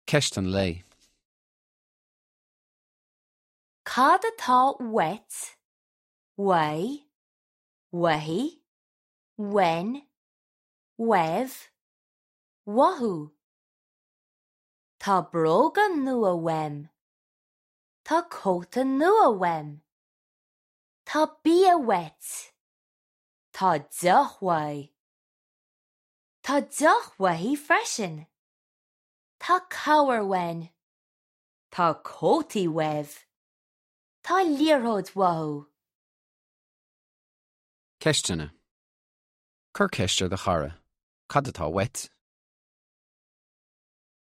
Ceist an lae. Cad atá uait, uaidh, uaithi, uainn, uaibh, uathu? Tá bróga nua uaim. Tá cóta nua uaim. Tá bia uait. Tá deoch uaidh. Tá deoch uaithi freisin. Tá cabhair uainn. Tá cótaí uaibh. Tá liathróid uathu. Ceisteanna. Cuir ceist ar do chara. Cad atá uait?